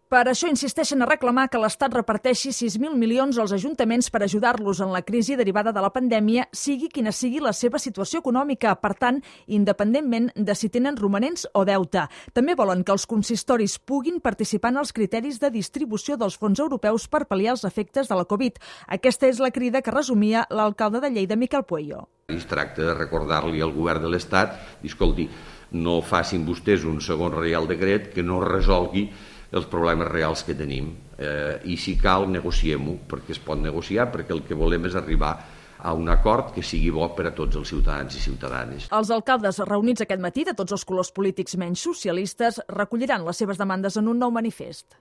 Per això insisteixen a reclamar que l'Estat reparteixi 6.000 milions als ajuntaments per ajudar-los en la crisi derivada de la pandèmia, sigui quina sigui la seva situació econòmica, per tant, independentment de si tenen romanents o deute. També volen que els consistoris puguin participar en els criteris de distribució dels fons europeus per pal·liar els efectes de la Covid. Aquesta és la crida que resumia l'alcalde de Lleida, Miquel Pueyo. Es tracta de recordar-li al govern de l'Estat, escolti, no facin vostès un segon Reial Decret que no resolgui els problemes reals que tenim. I si cal, negociem-ho, perquè es pot negociar, perquè el que volem és arribar a un acord que sigui bo per a tots els ciutadans i ciutadanes. Els alcaldes reunits aquest matí de tots els colors polítics menys socialistes recolliran les seves demandes en un nou manifest.